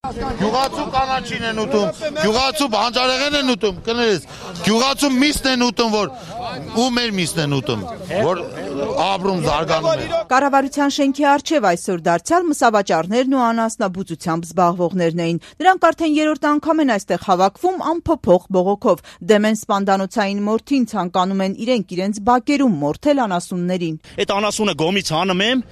Գյուղացու կանաչին են ուտում, գյուղացու բանջարեղեն են ուտում, կներես, գյուղացու միսն են ուտում, որ ու մեր միսն են ուտում, որ ապրում զարգանում է։ Կառավարության շենքի առջև այսօր դարձյալ մսավաճառներն ու անասնաբուծությամբ զբաղվողներն էին։ Նրանք արդեն երրորդ անգամ են այստեղ հավաքվում անփոփոխ բողոքով։ Դեմ են սպանդանոցային մորթին, ցանկանում են իրենց բակերում մորթել անասուններին։ Այդ անասունը գոմից հանում եմ,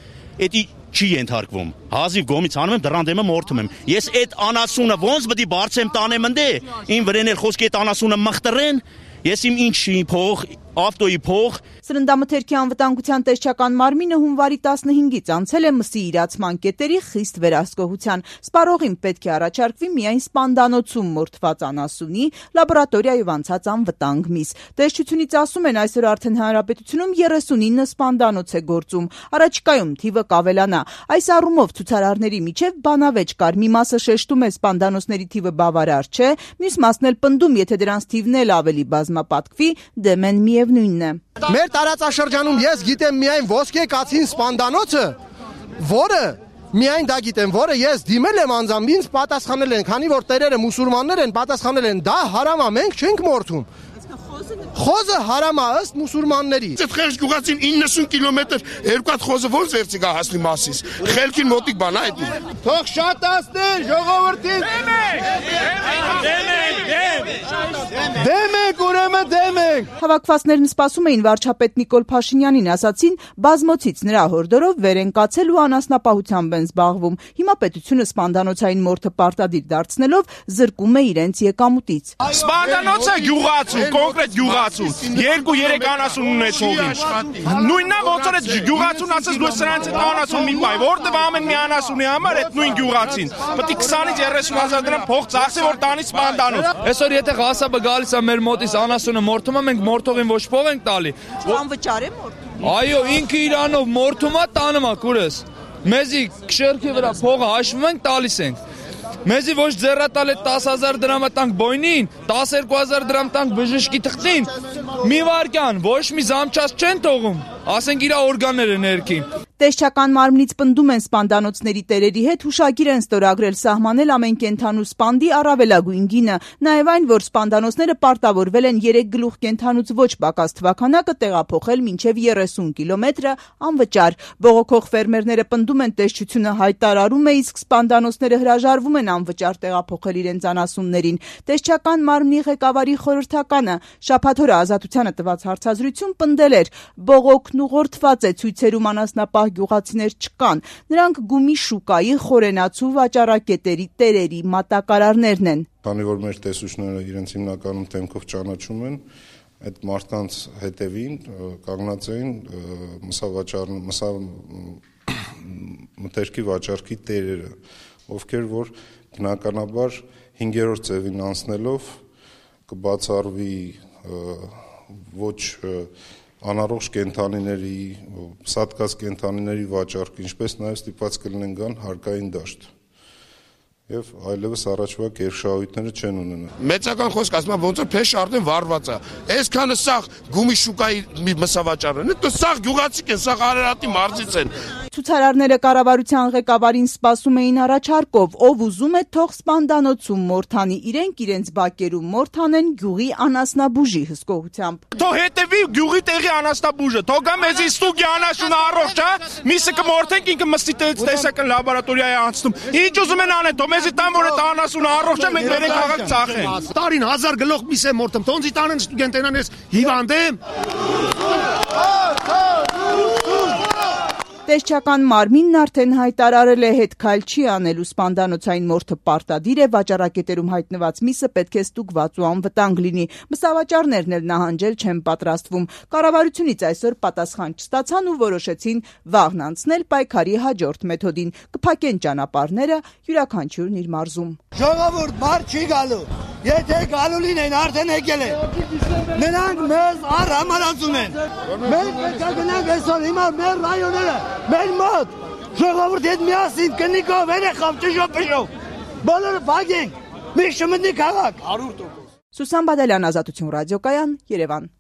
էդի չի ենթարկվում։ Հազիվ գոմից հանում եմ, դրան դեմը մորթում եմ։ Ես այդ անասունը ոնց պետք է բարձեմ տանեմ ընդե, ին վրան էլ խոսքի այդ անասունը մխտրեն, ես իմ ինչի փող, ավտոյի փող։ Սննդամթերքի անվտանգության տեսչական մարմինը հունվարի 15-ից անցել է մսի իրացման կետերի խիստ վերահսկողության։ Սպառողին պետք է առաջարկվի միայն սպանդանոցում մորթված անասունի, լաբորատորիայով անցած անվտանգ միս։ Տեսչությունից ասում են, այսօր արդեն հանրապետությունում 39 սպանդանոց է գործում։ Առաջիկայում թիվը կավելանա։ Այս առումով ցուցարարների միջև բանավեճ կար։ Մի մասը շեշտում է սպանդանոցների թիվը բավարար չէ, մյուս մասն էլ պնդում, եթե դրանց թիվն էլ ավելի բազմապատկվի, դեմ են միևնույնն է։ Մեր տարածաշրջանում ես գիտեմ միայն ոսկե կացին սպանդանոցը, որը միայն դա գիտեմ, որը ես դիմել եմ անձամբ, ինձ պատասխանել են, քանի որ տերերը մուսուլմաններ են, պատասխանել են, դա հարամ է, մենք չենք մորթում։ Խոզը հարամ է ըստ մուսուլմանների։ Այդ խեղճ գյուղացին 90 կիլոմետր երկու հատ խոզը ոնց վերցի գա հասնի մասից։ Խելքին մոտիկ բան է այդ։ Թող շատացներ ժողովրդին։ Դեմեք, ուրեմն դեմեք։ Հավաքվածներն սպասում էին վարչապետ Նիկոլ Փաշինյանին, ասացին, բազմոցից նրա հորդորով վեր են կացել ու անասնապահությամբ են զբաղվում։ Հիմա պետությունը սպանդանոցային մորթը պարտադիր դարձնելով զրկում է իրենց եկամուտից։ Սպանդանոցը գյուղացու, կոնկրետ գյուղացու, 2-3 անասուն ունեցողին։ Նույնն է ոնց որ այդ գյուղացուն ասես դու սրանց այդ անասուն մի բայ, որտեղ ամեն մի անասունի համար այդ նույն գյուղացին։ Պետք է 20-ից 30,000 դրամ փող ծախսի, որ տանի սպանդանոց։ Այսօր եթե ղասաբը գալիս է մեր մոտից անասունը մորթում է, մենք մորթողին ոչ փող ենք տալի։ Անվճար է մորթում։ Այո, ինքը իրանով մորթում է, տանում է քուրս։ Մեզի քշերքի վրա փողը հաշվում ենք, տալիս ենք։ Մեզի ոչ ձեռատալ է 10,000 դրամը տանք բոյնին, 12,000 դրամ տանք բժշկի թղթին։ Մի վարկյան, ոչ մի զամչած չեն թողում, ասենք իրա օրգանները ներքին։ Տեսչական մարմնից պնդում են սպանդանոցների տերերի հետ հուշագիր են ստորագրել սահմանել ամեն կենդանու սպանդի առավելագույն գինը, նաև այն, որ սպանդանոցները պարտավորվել են 3 գլուխ կենդանուց ոչ պակաս թվաքանակը տեղափոխել մինչև 30 կիլոմետրը անվճար։ Բողոքող ֆերմերները պնդում են տեսչությունը հայտարարում է, իսկ սպանդանոցները հրաժարվում են անվճար տեղափոխել իրենց անասուններին։ Տեսչական մարմնի ղեկավարի խորհրդականը շաբաթ օրը Ազատությանը տված հարցազրույցում պնդել էր, բողոքն ուղղորդված է ցույցերում անասնապահ գյուղացիներ չկան, նրանք գումի շուկայի խորենացու վաճառակետերի տերերի մատակարարներն են։ Քանի որ մեր տեսուչները իրենց հիմնականում թեմքով ճանաչում են, այդ մարդկանց հետևին կանգնած էին մթերքի վաճառքի տերերը, ովքեր որ բնականաբար 5-րդ ծևին անցնելով կբացառվի ոչ անառողջ կենդանիների, սատկած կենդանիների վաճառք, ինչպես նաև ստիպված կլինեն գան հարկային դաշտ։ Եվ այլևս առաջվա կերշահույթները չեն ունենա։ Մեծական խոսք ասում եմ ոնց որ փեշ արդեն վառված է։ Այսքանը սաղ գումի շուկայի մսավաճառն է, դու սաղ գյուղացիք են, սաղ Արարատի մարզից են։ Ցուցարարները կառավարության ղեկավարին սպասում էին առաջարկով, ով ուզում է թող սպանդանոցում մորթանի, իրենց բակերում մորթանեն գյուղի անասնաբուժի հսկողությամբ։ Թող հետևի գյուղի տեղի անասնաբուժը, թող գա մեզի ստուգի անասունը առողջ է, միսը կմորթենք, ինքը մստի տեսական լաբորատորիա է անցնում։ Ինչ ուզում են անեն, թող մեզի տան որ այդ անասունը առողջ է, մենք վերենք քաղաք ծախենք։ Տարին 1000 գլուխ միս է մորթում, տոնցի տանեն ստուդենտենան ես հիվանդ եմ։ Տեսչական մարմինն արդեն հայտարարել է հետ քայլ չի անելու սպանդանոցային մորթը պարտադիր է, վաճառակետերում հայտնված միսը պետք է ստուգված ու անվտանգ լինի։ Մսավաճառներն էլ նահանջել չեն պատրաստվում։ Կառավարությունից այսօր պատասխան չստացան ու որոշեցին վաղն անցնել պայքարի հաջորդ մեթոդին՝ կփակեն ճանապարհները, յուրաքանչյուրն իր մարզում։ Ժողովուրդ բար չի գալու։ Եթե գալու լինեն արդեն եկել են։ Նրանք մեզ առհամարացում են։ Մենք պետք է գնանք այսօր հիմա մեր ռայոնները, մեր մոտ։ Ժողովուրդի հետ միասին կնիկով, երեխով, ճշով, բոլորը փակենք։ Մի շմտնի քաղաք 100%։ Սուսան Բադալյան, Ազատություն ռադիոկայան, Երևան։